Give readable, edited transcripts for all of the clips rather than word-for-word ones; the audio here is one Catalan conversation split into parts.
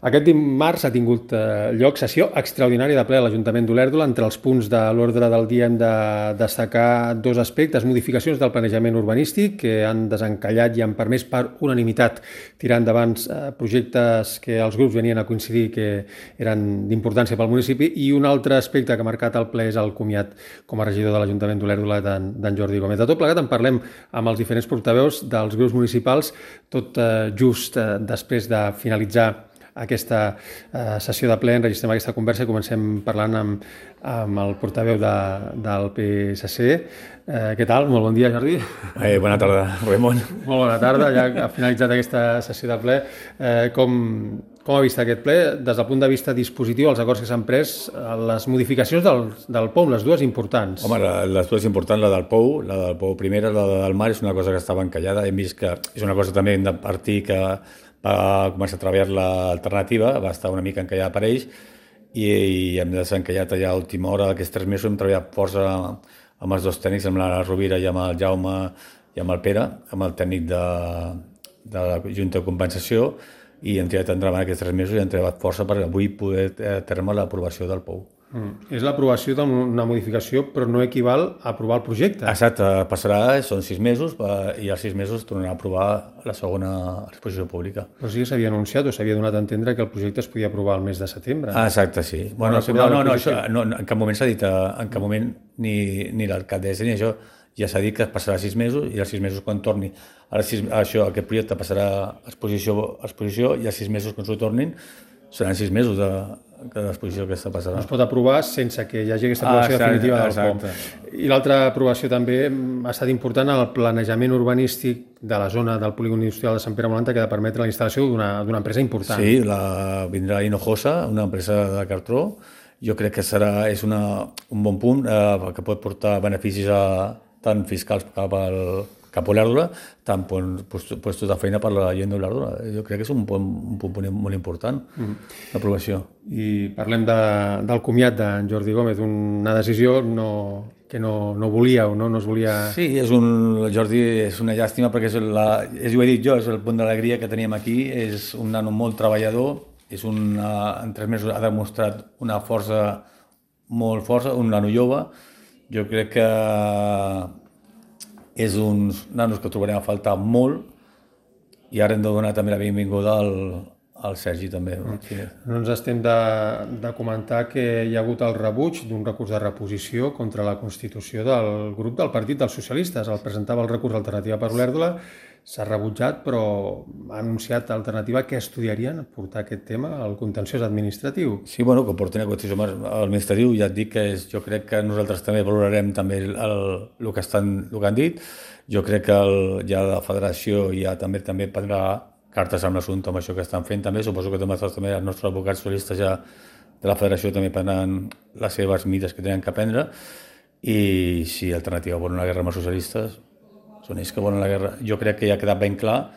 Aquest dimarts ha tingut lloc sessió extraordinària de ple a l'Ajuntament d'Olèrdola. Entre els punts de l'ordre del dia hem de destacar dos aspectes: modificacions del planejament urbanístic que han desencallat i han permès per unanimitat tirar endavant projectes que els grups venien a coincidir que eren d'importància pel municipi, i un altre aspecte que ha marcat el ple és el comiat com a regidor de l'Ajuntament d'Olèrdola d'en Jordi Gómez. De tot plegat en parlem amb els diferents portaveus dels grups municipals, tot just després de finalitzar aquesta sessió de ple. Enregistrem aquesta conversa i comencem parlant amb el portaveu del PSC. Què tal? Molt bon dia, Jordi. Bona tarda, Ramon. Molt bona tarda, ja ha finalitzat aquesta sessió de ple. Com ha vist aquest ple? Des del punt de vista dispositiu, els acords que s'han pres, les modificacions del POU, les dues importants. Home, les dues importants, la del POU primera, la del mar, és una cosa que estava encallada. Hem vist que és una cosa també de partir que va començar a treballar l'alternativa, va estar una mica encallada per ells i hem desencallat allà a última hora. Aquests 3 mesos hem treballat força amb els dos tècnics, amb la Rovira i amb el Jaume i amb el Pere, amb el tècnic de la Junta de Compensació, i hem tirat endavant aquests 3 mesos i hem treballat força per avui poder terme l'aprovació del POU. És l'aprovació d'una modificació, però no equival a aprovar el projecte. Exacte, són 6 mesos i als 6 mesos tornarà a aprovar la segona exposició pública. Però sí que s'havia anunciat o s'havia donat a entendre que el projecte es podia aprovar el mes de setembre. Exacte, sí. Bueno, això, en cap moment s'ha dit, en cap moment ni l'alcaldessa ni això, ja s'ha dit que es passarà 6 mesos i als 6 mesos quan torni aquest projecte passarà a exposició i als 6 mesos quan s'ho tornin seran 6 mesos de l'exposició aquesta passarà. No es pot aprovar sense que hi hagi aquesta aprovació definitiva del POU. I l'altra aprovació també ha estat important, el planejament urbanístic de la zona del polígon industrial de Sant Pere Molanta, que ha de permetre la instal·lació d'una empresa important. Sí, vindrà Hinojosa, una empresa de cartró. Jo crec que és un bon punt que pot portar beneficis tant fiscals cap a Olèrdola, tant puestos de feina per la gent d'Olèrdola. Jo crec que és un punt molt important, l'aprovació. I parlem del comiat d'en Jordi Gómez, una decisió que no volia o no es volia... Sí, Jordi és una llàstima perquè ho he dit jo, és el punt d'alegria que teníem aquí, és un nano molt treballador, en 3 mesos ha demostrat una força molt força, un nano jove. Jo crec que és uns nanos que trobarem a faltar molt i ara hem de donar també la benvinguda al Sergi també. No ens estem de comentar que hi ha hagut el rebuig d'un recurs de reposició contra la Constitució del grup del Partit dels Socialistes. El presentava el recurs Alternativa per Olèrdola, s'ha rebutjat, però ha anunciat Alternativa que estudiarien portar aquest tema al contenciós administratiu. Sí, bueno, que portin a contenciós administratiu, ja et dic que jo crec que nosaltres també valorarem també el que han dit. Jo crec que ja la federació ja també prendrà cartes en l'assumpte amb això que estan fent també. Suposo que també els nostres advocats solistes ja de la federació també prendran les seves mides que tenen que prendre, i si Alternativa vol una guerra amb els socialistes, són ells que volen la guerra. Jo crec que ja ha quedat ben clar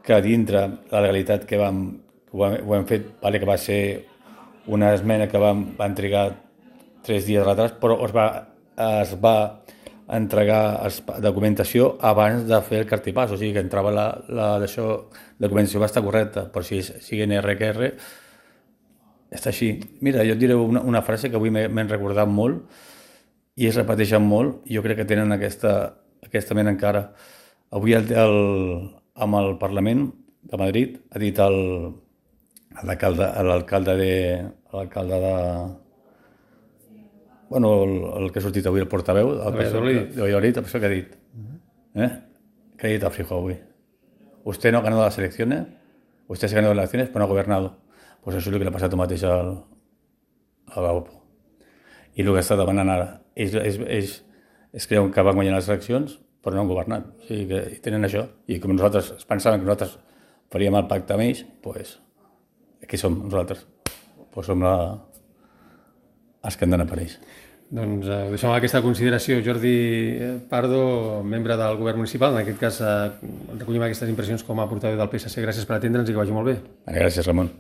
que dintre la legalitat que ho hem fet, que va ser una esmena que van trigar 3 dies de retard, però es va entregar documentació abans de fer el cartipàs, o sigui que entrava la documentació va estar correcta, però si sigui NRQR està així. Mira, jo et diré una frase que avui m'he recordat molt i es repeteixen molt, i jo crec que tenen aquesta mena encara. Avui amb el Parlament de Madrid ha dit l'alcalde de... Bueno, el que ha sortit avui, el portaveu de Valladolid, això que ha dit. ¿Qué ha dit a Feijóo avui? Usted no ha ganado las elecciones, usted se ha ganado las elecciones, pero no ha gobernado. Pues això és el que li ha passat mateix a Gaupo. I el que està demanant ara, ells creuen que van guanyar les eleccions, però no han governat. O sigui que tenen això. I com nosaltres pensaven que nosaltres faríem el pacte amb ells, doncs aquí som nosaltres. Doncs som els que han d'anar per ells. Doncs ho deixem amb aquesta consideració. Jordi Pardo, membre del govern municipal, en aquest cas recollim aquestes impressions com a portaveu del PSC. Gràcies per atendre'ns i que vagi molt bé. Gràcies, Ramon.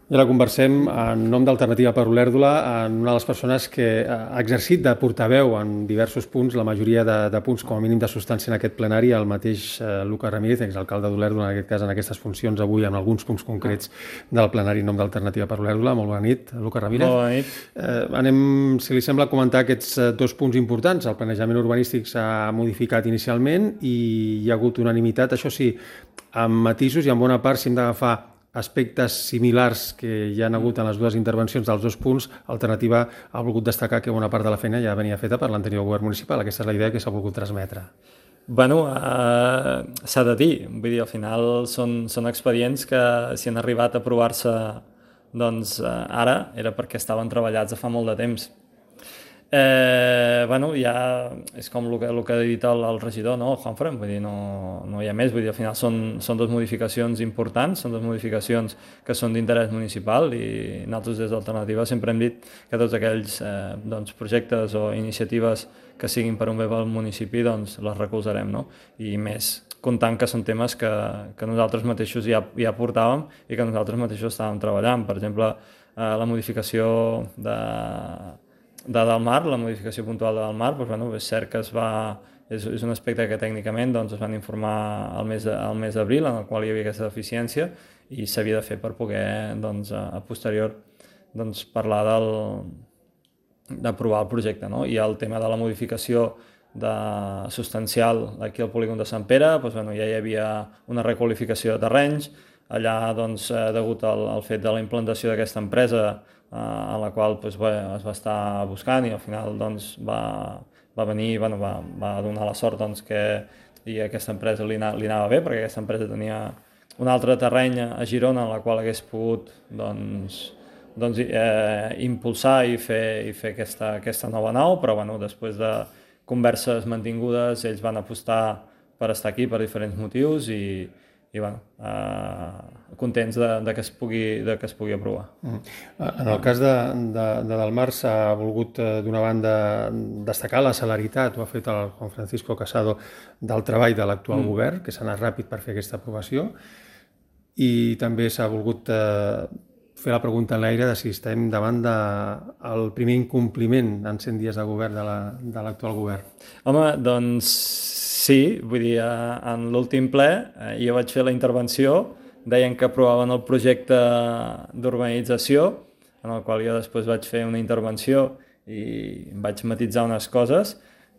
I ara conversem en nom d'Alternativa per Olèrdola en una de les persones que ha exercit de portaveu en diversos punts, la majoria de punts com a mínim de substància en aquest plenari, el mateix Lucas Ramírez, exalcalde d'Olèrdola, en aquest cas en aquestes funcions avui, en alguns punts concrets del plenari en nom d'Alternativa per Olèrdola. Molt bona nit, Lucas Ramírez. Molt bona nit. Anem, si li sembla, a comentar aquests dos punts importants. El planejament urbanístic s'ha modificat inicialment i hi ha hagut unanimitat, això sí, amb matisos i en bona part, si hem d'agafar aspectes similars que hi ha hagut en les dues intervencions dels dos punts, Alternativa ha volgut destacar que bona part de la feina ja venia feta per l'anterior govern municipal. Aquesta és la idea que s'ha volgut transmetre. Bueno, s'ha de dir, vull dir, al final són expedients que si han arribat a aprovar-se doncs ara era perquè estaven treballats de fa molt de temps. Bueno, ja és com el que ha dit el regidor, no? El Juanfran, vull dir, no hi ha més, vull dir, al final són dues modificacions importants, són dues modificacions que són d'interès municipal i nosaltres des d'Alternativa sempre hem dit que tots aquells doncs, projectes o iniciatives que siguin per un bé pel municipi doncs les recolzarem, no? I més comptant que són temes que nosaltres mateixos ja portàvem i que nosaltres mateixos estàvem treballant. Per exemple, la modificació de Del Mar, la modificació puntual de Del Mar, doncs, bueno, és cert que és un aspecte que tècnicament doncs, es van informar al mes d'abril, en el qual hi havia aquesta deficiència i s'havia de fer per poder doncs, a posterior doncs, parlar d'aprovar el projecte. No? I el tema de la modificació substancial aquí al polígon de Sant Pere, doncs, bueno, ja hi havia una requalificació de terrenys, allà doncs, degut al fet de la implantació d'aquesta empresa a la qual doncs, bé, es va estar buscant i al final doncs, va venir, bueno, va donar la sort doncs, que a aquesta empresa li anava bé, perquè aquesta empresa tenia un altre terreny a Girona en la qual hagués pogut impulsar i fer aquesta nova nau, però bueno, després de converses mantingudes ells van apostar per estar aquí per diferents motius i bueno, contents de que es pugui aprovar. En el cas de Del Mar s'ha volgut d'una banda destacar la celeritat, ho ha fet el Juan Francisco Casado, del treball de l'actual govern, que s'ha anat ràpid per fer aquesta aprovació, i també s'ha volgut fer la pregunta en l'aire de si estem davant del primer incompliment en 100 dies de govern de l'actual govern. Home, doncs sí, vull dir, en l'últim ple jo vaig fer la intervenció, deien que aprovaven el projecte d'urbanització, en el qual jo després vaig fer una intervenció i vaig matitzar unes coses,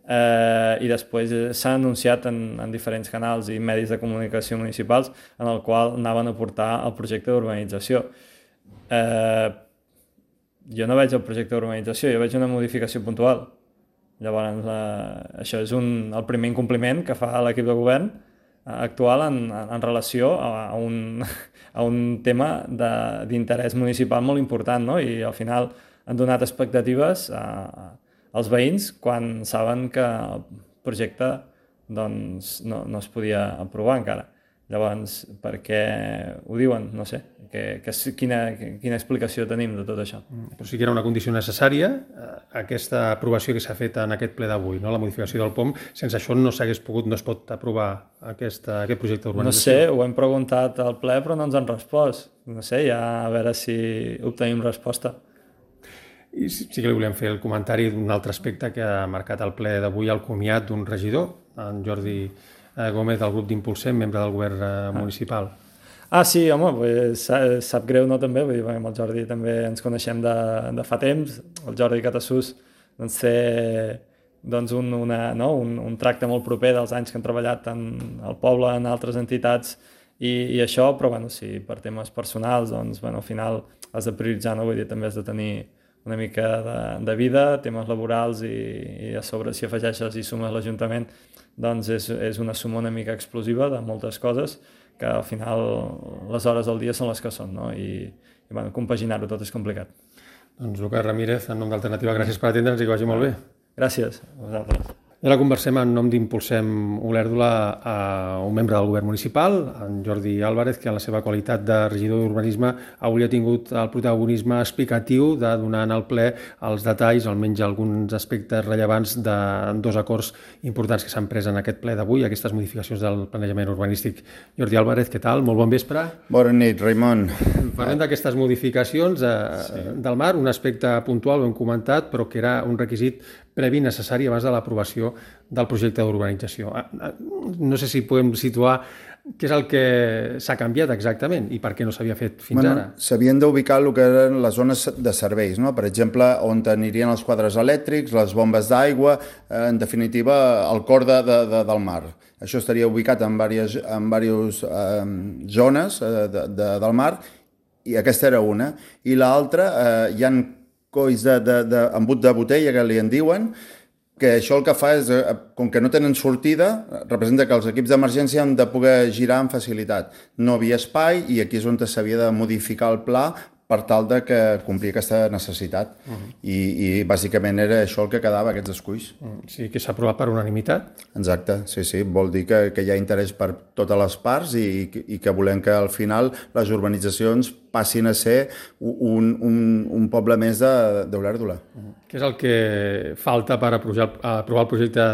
i després s'ha anunciat en diferents canals i medis de comunicació municipals en el qual anaven a portar el projecte d'urbanització. Jo no veig el projecte d'urbanització, jo veig una modificació puntual. Llavors, això és el primer incompliment que fa l'equip de govern actual en relació a un tema d'interès municipal molt important, no? I al final han donat expectatives als veïns quan saben que el projecte doncs, no es podia aprovar encara. Llavors, per què ho diuen? No sé. Quina explicació tenim de tot això? Però sí que era una condició necessària, aquesta aprovació que s'ha fet en aquest ple d'avui, no? La modificació del POM, sense això no es pot aprovar aquest projecte d'urbanització. No sé, ho hem preguntat al ple però no ens han respost. No sé, ja a veure si obtenim resposta. I sí que li volíem fer el comentari d'un altre aspecte que ha marcat el ple d'avui, el comiat d'un regidor, en Jordi Gómez, del grup d'Impulsem, membre del govern municipal. Sí, home, sap greu, no, també, vull dir, amb el Jordi també ens coneixem de fa temps, el Jordi Catassús doncs, té un tracte molt proper dels anys que han treballat tant al poble, en altres entitats i això, però bueno, si per temes personals, doncs, bueno, al final has de prioritzar, no? Vull dir, també has de tenir una mica de vida, temes laborals i a sobre si afegeixes i sumes l'Ajuntament doncs és una suma una mica explosiva de moltes coses que al final les hores del dia són les que són, no? I bueno, compaginar-ho tot és complicat. Doncs Lucas Ramírez, en nom d'Alternativa, gràcies per atendre'ns i que vagi molt bé. Gràcies a vosaltres. I ara conversem en nom d'Impulsem Olèrdola a un membre del govern municipal, en Jordi Álvarez, que en la seva qualitat de regidor d'urbanisme avui ha tingut el protagonisme explicatiu de donar al ple els detalls, almenys alguns aspectes rellevants de dos acords importants que s'han pres en aquest ple d'avui, aquestes modificacions del planejament urbanístic. Jordi Álvarez, què tal? Molt bon vespre. Bona nit, Raimon. Parlem d'aquestes modificacions del mar, un aspecte puntual, ho hem comentat, però que era un requisit previ necessari abans de l'aprovació del projecte d'urbanització. No sé si podem situar què és el que s'ha canviat exactament i per què no s'havia fet fins ara. S'havien d'ubicar el que eren les zones de serveis, no? Per exemple, on anirien els quadres elèctrics, les bombes d'aigua, en definitiva, el cor del mar. Això estaria ubicat en diverses zones del mar, i aquesta era una. I l'altra, hi ha colls d'embut de botella, que li en diuen, que això el que fa és, com que no tenen sortida, representa que els equips d'emergència han de poder girar amb facilitat. No havia espai i aquí és on s'havia de modificar el pla per tal de que complir aquesta necessitat. I bàsicament era això el que quedava, aquests esculls. Sí, que s'ha aprovat per unanimitat. Exacte, sí. Vol dir que hi ha interès per totes les parts i que volem que al final les urbanitzacions passin a ser un poble més d'Olèrdola. Què és el que falta per aprovar el projecte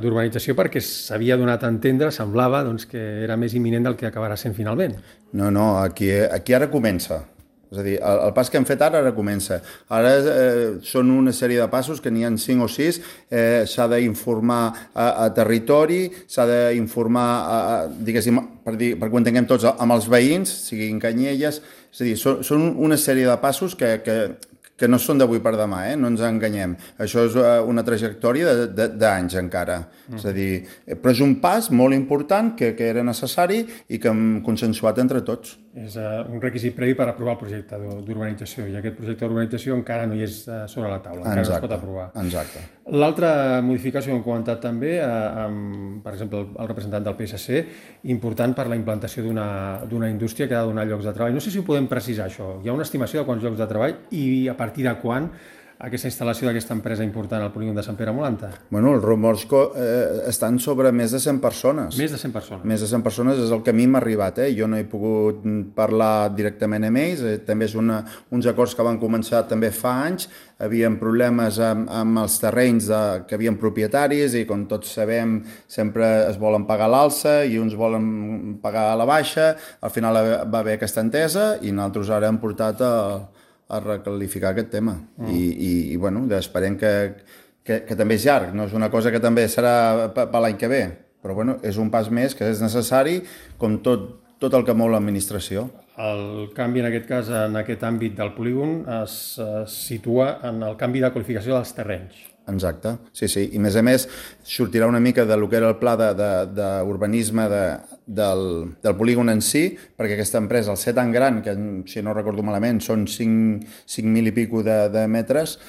d'urbanització, perquè s'havia donat a entendre, semblava que era més imminent del que acabarà sent finalment? No, aquí ara comença. És a dir, el pas que hem fet ara comença. Ara són una sèrie de passos, que n'hi ha 5 o 6, s'ha d'informar a territori, s'ha d'informar, diguéssim, perquè ho entenguem tots, amb els veïns, siguin Canyelles, és a dir, són una sèrie de passos que no són d'avui per demà, no ens enganyem. Això és una trajectòria d'anys encara. És a dir, però és un pas molt important que era necessari i que hem consensuat entre tots. És un requisit previ per aprovar el projecte d'urbanització, i aquest projecte d'urbanització encara no hi és sobre la taula, encara no es pot aprovar. Exacte. L'altra modificació que hem comentat també, per exemple, el representant del PSC, important per la implantació d'una indústria que ha de donar llocs de treball. No sé si ho podem precisar, això. Hi ha una estimació de quants llocs de treball i a partir de quan aquesta instal·lació d'aquesta empresa important al polígon de Sant Pere Molanta? Bueno, els rumors estan sobre més de 100 persones. Més de 100 persones? Més de 100 persones és el que a mi m'ha arribat. Jo no he pogut parlar directament amb ells. També és uns acords que van començar també fa anys. Havien problemes amb els terrenys que havien propietaris i, com tots sabem, sempre es volen pagar l'alça i uns volen pagar la baixa. Al final va haver aquesta entesa i nosaltres ara hem portat a recalificar aquest tema. I bueno, esperem que també és llarg, no és una cosa que també serà per l'any que ve, però bueno, és un pas més que és necessari, com tot el que mou l'administració. El canvi, en aquest cas, en aquest àmbit del polígon, es situa en el canvi de qualificació dels terrenys. Exacte, sí. I a més sortirà una mica del que era el pla d'urbanisme del polígon en si, perquè aquesta empresa, al ser tan gran, que si no recordo malament són 5.000 i pico de metres,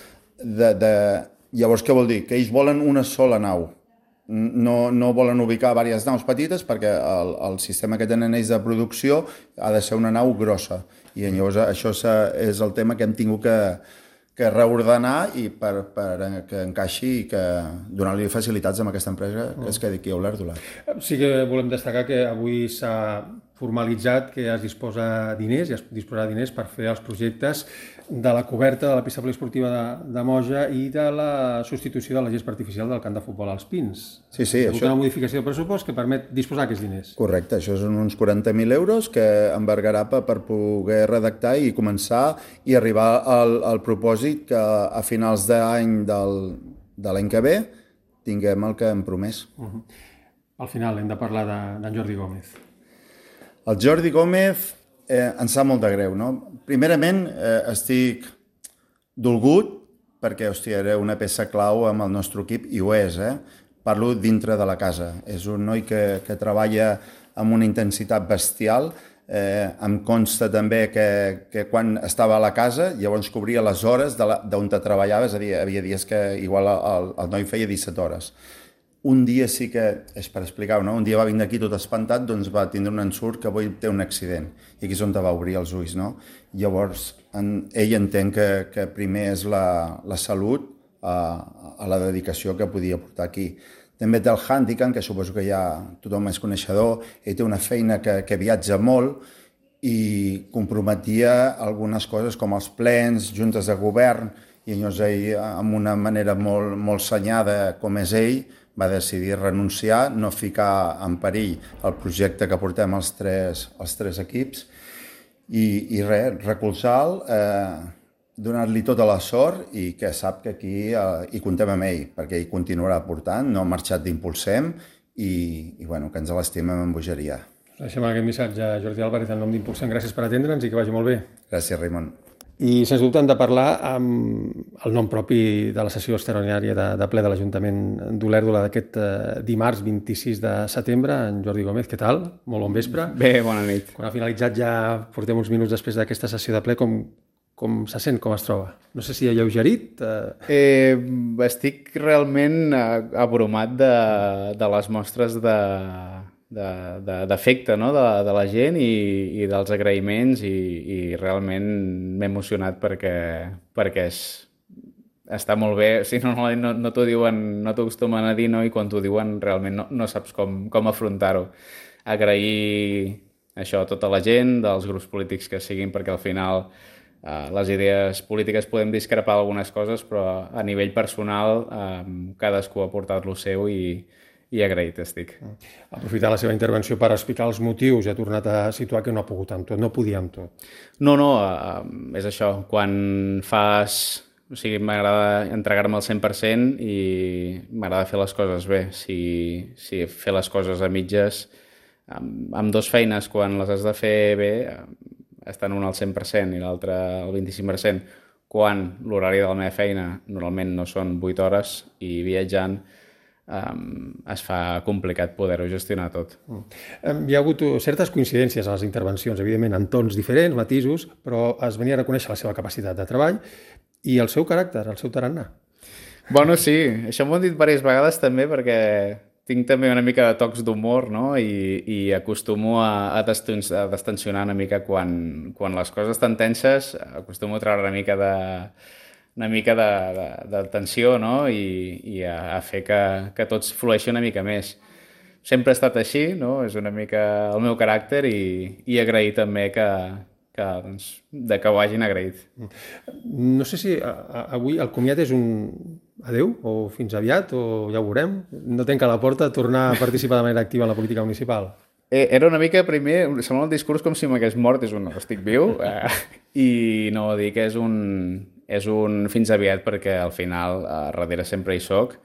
llavors què vol dir? Que ells volen una sola nau. No volen ubicar diverses naus petites perquè el sistema que tenen ells de producció ha de ser una nau grossa. I llavors això és el tema que hem tingut que reordenar i per que encaixi i que donar-li facilitats a aquesta empresa que es quedi aquí a Olèrdola. Sí que volem destacar que avui s'ha formalitzat que es disposa diners i es disposarà diners per fer els projectes de la coberta de la pista poliesportiva de Moja i de la substitució de la gespa artificial del camp de futbol als Pins. Sí, això és una modificació de pressupost que permet disposar d'aquests diners. Correcte, això són uns 40.000 euros que embargarà per poder redactar i començar i arribar al propòsit que a finals d'any de l'any que ve tinguem el que hem promès. Al final hem de parlar d'en Jordi Gómez. El Jordi Gómez ens sap molt de greu, no? Primerament, estic dolgut perquè, era una peça clau amb el nostre equip, i ho és, Parlo dintre de la casa. És un noi que treballa amb una intensitat bestial. Em consta també que quan estava a la casa, llavors cobria les hores d'on treballava, és a dir, havia dies que igual el noi feia 17 hores. Un dia sí que, és per explicar-ho, no? Un dia va vindre aquí tot espantat, doncs va tindre un ensurt que avui té un accident. I aquí és on va obrir els ulls, no? Llavors, ell entén que primer és la salut a la dedicació que podia portar aquí. També té el Handican, que suposo que ja tothom és coneixedor, ell té una feina que viatja molt i comprometia algunes coses com els plens, juntes de govern, i llavors ell, amb una manera molt senyada com és ell, va decidir renunciar, no ficar en perill el projecte que portem els tres equips, i res, recolzar-lo, donar-li tota la sort i que sap que aquí hi contem amb ell, perquè ell continuarà portant, no ha marxat d'Impulsem i bueno, que ens l'estimem amb bogeria. Deixem aquest missatge a Jordi Álvarez en nom d'Impulsem. Gràcies per atendre'ns i que vagi molt bé. Gràcies, Raimon. I sens dubte hem de parlar amb el nom propi de la sessió extraordinària de ple de l'Ajuntament d'Olèrdola d'aquest dimarts 26 de setembre. En Jordi Gómez, què tal? Molt bon vespre. Bé, bona nit. Quan ha finalitzat ja portem uns minuts després d'aquesta sessió de ple, com se sent, com es troba? No sé si alleugerit. Estic realment abrumat de les mostres d'afecte, no? de la gent i dels agraïments i realment m'he emocionat perquè està molt bé. O sigui, no t'ho diuen, no t'ho acostumen a dir, no? I quan t'ho diuen realment no saps com afrontar-ho. Agrair això a tota la gent, dels grups polítics que siguin, perquè al final les idees polítiques podem discrepar algunes coses, però a nivell personal cadascú ha portat lo seu i agraït estic. Aprofitar la seva intervenció per explicar els motius i ha tornat a situar que no ha pogut amb tot, no podia amb tot. No, és això. Quan fas... O sigui, m'agrada entregar-me al 100% i m'agrada fer les coses bé. Si fer les coses a mitges, amb dues feines, quan les has de fer bé, estan una al 100% i l'altra al 25%, quan l'horari de la meva feina normalment no són 8 hores i viatjant es fa complicat poder-ho gestionar tot. Hi ha hagut certes coincidències a les intervencions, evidentment en tons diferents, matisos, però es venia a reconèixer la seva capacitat de treball i el seu caràcter, el seu tarannà. Bueno, sí, això m'ho han dit diverses vegades també perquè tinc també una mica de tocs d'humor, no? I acostumo a destensionar una mica quan les coses estan tenses, acostumo a treure una mica de tensió, no? I a fer que tots flueixi una mica més. Sempre ha estat així, no? És una mica el meu caràcter i agrair també que ho hagin agraït. No sé si avui el comiat és un adeu o fins aviat o ja ho veurem. No tanca la porta a tornar a participar de manera activa en la política municipal. Era una mica, primer, sembla el discurs com si m'hagués mort, estic viu, i no, dic que és un fins aviat perquè al final darrere sempre hi soc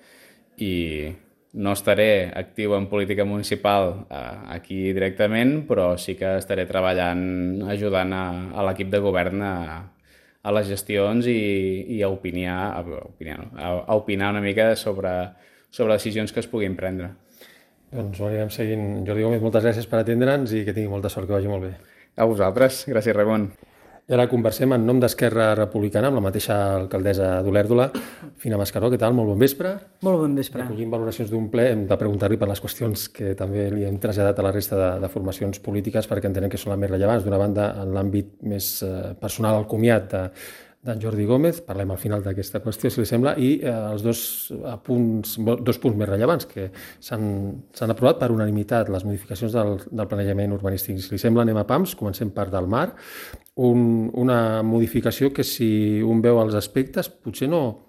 i no estaré actiu en política municipal aquí directament, però sí que estaré treballant, ajudant a l'equip de govern a les gestions i a opinar una mica sobre decisions que es puguin prendre. Doncs ho anirem seguint. Jordi Gómez, moltes gràcies per atendre'ns i que tingui molta sort, que vagi molt bé. A vosaltres. Gràcies, Ramon. I ara conversem en nom d'Esquerra Republicana amb la mateixa alcaldessa d'Olèrdola, Fina Mascaró. Què tal? Molt bon vespre. Molt bon vespre. Recollint valoracions d'un ple, hem de preguntar-li per les qüestions que també li hem traslladat a la resta de formacions polítiques perquè entenem que són les més rellevants. D'una banda, en l'àmbit més personal, el comiat d'en Jordi Gómez, parlem al final d'aquesta qüestió, si li sembla, i els dos punts més rellevants que s'han aprovat per unanimitat, les modificacions del planejament urbanístic. Si li sembla, anem a pams, comencem per del mar, una modificació que si un veu els aspectes potser no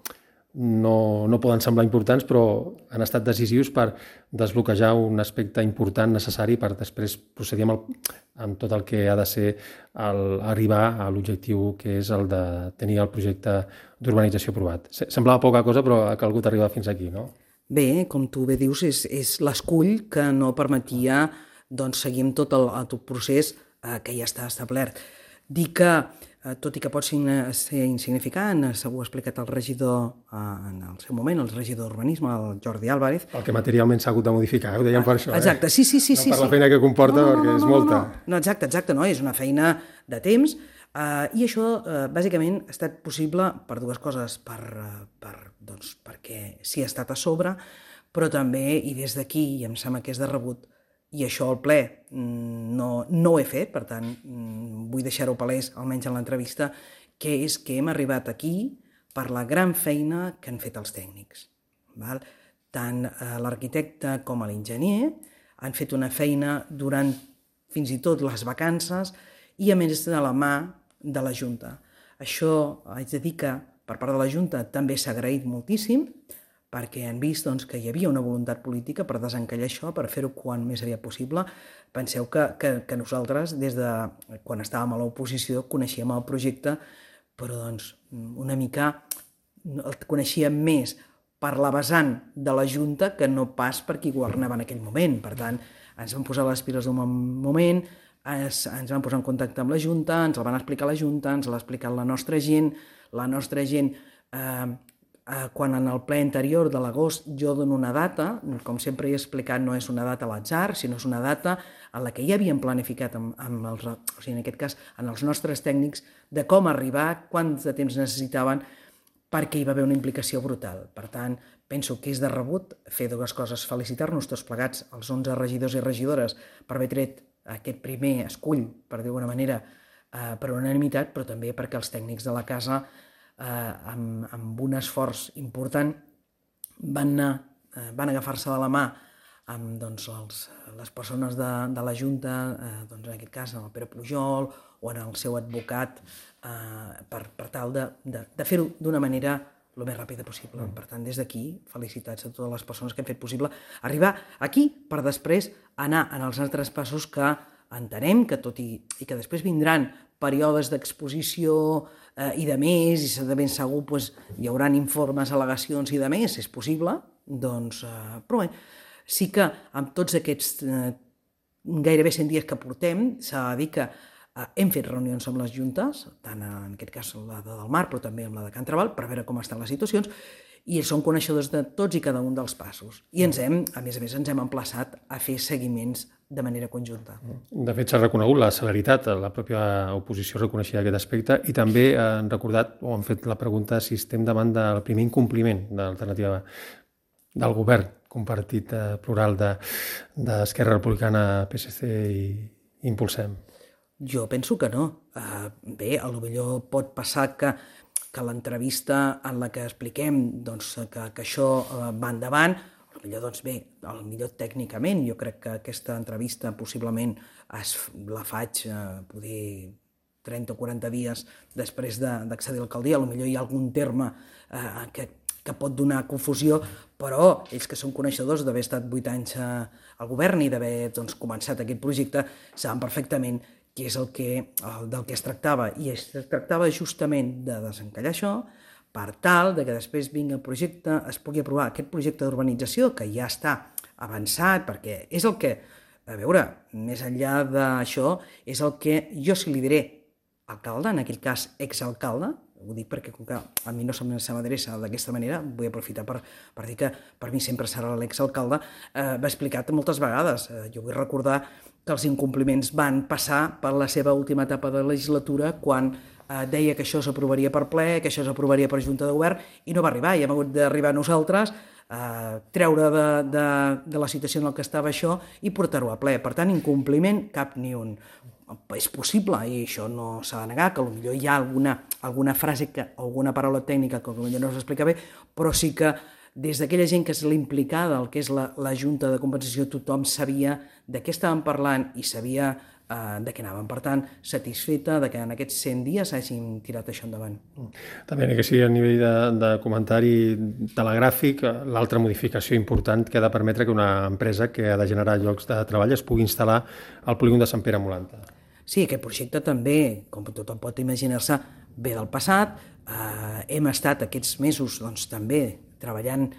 poden semblar importants, però han estat decisius per desbloquejar un aspecte important, necessari, per després procedir amb tot el que ha de ser arribar a l'objectiu que és el de tenir el projecte d'urbanització aprovat. Semblava poca cosa, però ha calgut arribar fins aquí, no? Bé, com tu bé dius, és l'escull que no permetia seguir amb tot el procés que ja està establert. Dir que, tot i que pot ser insignificant, ho ha explicat el regidor en el seu moment, el regidor d'Urbanisme, el Jordi Álvarez. El que materialment s'ha hagut de modificar, ho dèiem per això. Exacte, sí. No per la feina que comporta, perquè és molta. No, exacte, és una feina de temps i això bàsicament ha estat possible per dues coses, perquè s'hi ha estat a sobre, però també, i des d'aquí, i em sembla que és de rebut, i això al ple no ho he fet, per tant, vull deixar-ho palès, almenys en l'entrevista, que és que hem arribat aquí per la gran feina que han fet els tècnics. Val? Tant l'arquitecte com l'enginyer han fet una feina durant fins i tot les vacances i a més de la mà de la Junta. Això haig de dir que per part de la Junta també s'ha agraït moltíssim perquè han vist que hi havia una voluntat política per desencallar això, per fer-ho quan més aviat possible. Penseu que nosaltres, des de quan estàvem a l'oposició, coneixíem el projecte, però una mica el coneixíem més per la vessant de la Junta que no pas per qui governava en aquell moment. Per tant, ens vam posar les piles d'un moment, ens vam posar en contacte amb la Junta, ens el van explicar la Junta, ens l'ha explicat la nostra gent, quan en el ple anterior de l'agost jo dono una data, com sempre he explicat, no és una data a l'atzar, sinó és una data en la que ja havíem planificat en aquest cas, en els nostres tècnics, de com arribar, quant de temps necessitaven, perquè hi va haver una implicació brutal. Per tant, penso que és de rebut fer dues coses, felicitar-nos tots plegats, els 11 regidors i regidores, per haver tret aquest primer escull, per dir d'alguna manera, per unanimitat, però també perquè els tècnics de la casa, amb un esforç important, van agafar-se de la mà amb les persones de la Junta, en aquest cas el Pere Pujol o en el seu advocat, per tal de fer-ho d'una manera el més ràpida possible. Per tant, des d'aquí, felicitats a totes les persones que han fet possible arribar aquí per després anar en els altres passos que entenem que tot i que després vindran períodes d'exposició i de més, i de ben segur hi haurà informes, al·legacions i de més, és possible, però bé, sí que amb tots aquests gairebé 100 dies que portem, s'ha de dir que hem fet reunions amb les juntes, tant en aquest cas la de Del Mar, però també amb la de Can Trabal, per veure com estan les situacions, i ells són coneixedors de tots i cada un dels passos. I a més, ens hem emplaçat a fer seguiments de manera conjunta. De fet, s'ha reconegut la celeritat, la pròpia oposició reconeixia aquest aspecte, i també han recordat, o han fet la pregunta, si estem davant del primer incompliment de l'alternativa del govern compartit plural d'Esquerra Republicana, PSC i Impulsem. Jo penso que no. Bé, potser pot passar que l'entrevista en la que expliquem que això va endavant, potser tècnicament, jo crec que aquesta entrevista possiblement la faig poder 30 o 40 dies després d'accedir a l'alcaldia, potser hi ha algun terme que pot donar confusió, però ells que són coneixedors d'haver estat 8 anys al govern i d'haver començat aquest projecte, saben perfectament que és del que es tractava. I es tractava justament de desencallar això per tal que després vingui el projecte, es pugui aprovar aquest projecte d'urbanització que ja està avançat, perquè és el que, a veure, més enllà d'això, és el que jo si li diré alcalde, en aquell cas exalcalde, ho dic perquè com que a mi no se m'adreça d'aquesta manera, vull aprofitar per dir que per mi sempre serà l'exalcalde, va explicat moltes vegades. Jo vull recordar que els incompliments van passar per la seva última etapa de legislatura quan deia que això s'aprovaria per ple, que això s'aprovaria per Junta de Govern, i no va arribar, i hem hagut d'arribar nosaltres, treure de la situació en què estava això i portar-ho a ple. Per tant, incompliment cap ni un. És possible, i això no s'ha de negar, que potser hi ha alguna frase, alguna paraula tècnica que potser no s'explica bé, però sí que des d'aquella gent que és l'implicada, el que és la Junta de Compensació, tothom sabia de què estàvem parlant i sabia de què anàvem. Per tant, satisfeta que en aquests 100 dies hàgim tirat això endavant. També que sigui a nivell de comentari telegràfic, l'altra modificació important que ha de permetre que una empresa que ha de generar llocs de treball es pugui instal·lar al polígon de Sant Pere Molanta. Sí, aquest projecte també, com tothom pot imaginar-se, ve del passat. Hem estat aquests mesos també treballant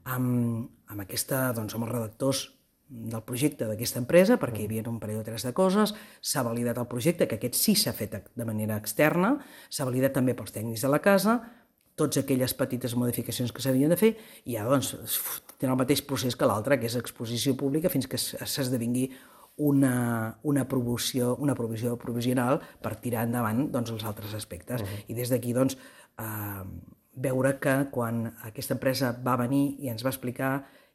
amb els redactors del projecte d'aquesta empresa, perquè hi havia un parell o tres de coses, s'ha validat el projecte, que aquest sí s'ha fet de manera externa, s'ha validat també pels tècnics de la casa, totes aquelles petites modificacions que s'havien de fer, i ja tenen el mateix procés que l'altre, que és exposició pública, fins que s'esdevingui una provisió provisional per tirar endavant els altres aspectes. I des d'aquí veure que quan aquesta empresa va venir i ens va explicar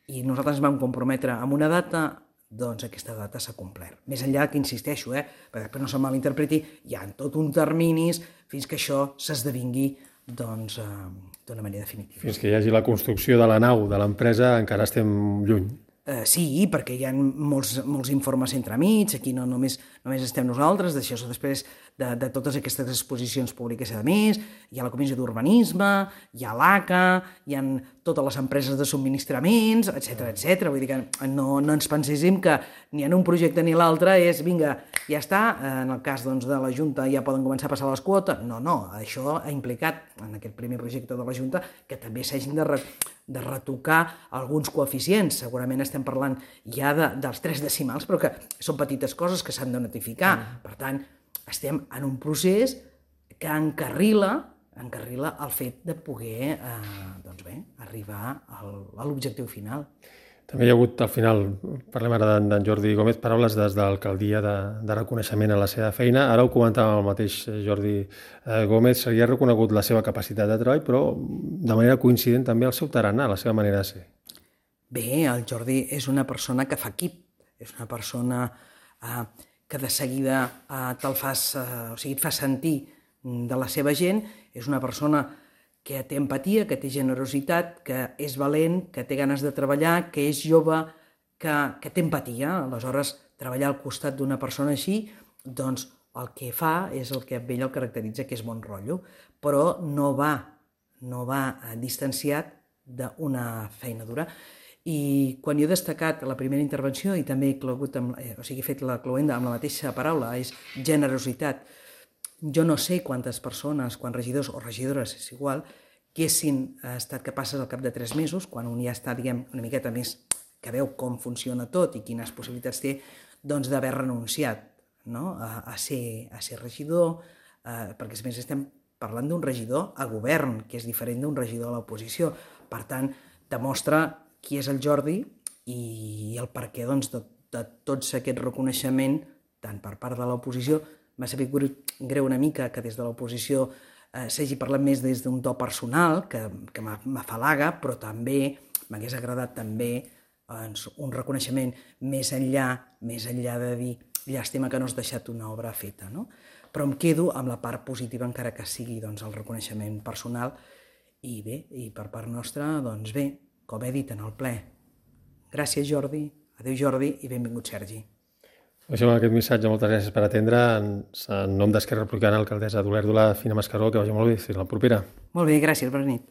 i nosaltres ens vam comprometre amb una data, aquesta data s'ha complert. Més enllà que insisteixo, perquè després no se malinterpreti, hi ha tot un terminis fins que això s'esdevingui doncs, d'una manera definitiva. Fins que hi hagi la construcció de la nau de l'empresa encara estem lluny. Sí, perquè hi ha molts informes entremig, aquí no només estem nosaltres, d'això després de totes aquestes exposicions públiques a més, hi ha la Comissió d'Urbanisme, hi ha l'ACA, hi ha totes les empreses de subministraments, etc. Vull dir que no ens penséssim que ni en un projecte ni l'altre és, vinga, ja està, en el cas doncs, de la Junta ja poden començar a passar les quotes. No, això ha implicat, en aquest primer projecte de la Junta, que també s'hagin de retocar alguns coeficients. Segurament estem parlant ja dels 3 decimals, però que són petites coses que s'han de notificar. Per tant, estem en un procés que encarrila el fet de poder arribar a l'objectiu final. També hi ha hagut, al final, parlem ara d'en Jordi Gómez, paraules des de l'alcaldia de reconeixement a la seva feina. Ara ho comentava el mateix Jordi Gómez, seria reconegut la seva capacitat de treball, però de manera coincident també el seu tarannà, la seva manera de ser. Bé, el Jordi és una persona que fa equip, és una persona que de seguida et fa sentir de la seva gent, és una persona que té empatia, que té generositat, que és valent, que té ganes de treballar, que és jove, que té empatia. Aleshores, treballar al costat d'una persona així, doncs el que fa és el que a ell el caracteritza, que és bon rotllo, però no va distanciat d'una feina dura. I quan jo he destacat la primera intervenció i també he fet la cloenda amb la mateixa paraula, és generositat. Jo no sé quantes persones, quants regidors o regidores, és igual, que haguessin estat capaces al cap de 3 mesos, quan un ja està, una miqueta més que veu com funciona tot i quines possibilitats té, doncs d'haver renunciat a ser regidor, perquè a més estem parlant d'un regidor a govern, que és diferent d'un regidor a l'oposició. Per tant, demostra qui és el Jordi i el perquè de tots aquest reconeixement, tant per part de l'oposició. M'ha sabut greu una mica que des de l'oposició s'hagi parlat més des d'un to personal, que m'afalaga, però també m'hagués agradat també un reconeixement més enllà de dir llàstima que no has deixat una obra feta, no? Però em quedo amb la part positiva, encara que sigui el reconeixement personal, i bé, i per part nostra, doncs bé, com he dit en el ple. Gràcies, Jordi, adéu Jordi i benvingut Sergi. Deixem aquest missatge, moltes gràcies per atendre. En nom d'Esquerra Republicana, alcaldessa d'Olèrdola, Fina Mascaró, que vagi molt bé. Fins la propera. Molt bé, gràcies, bona nit.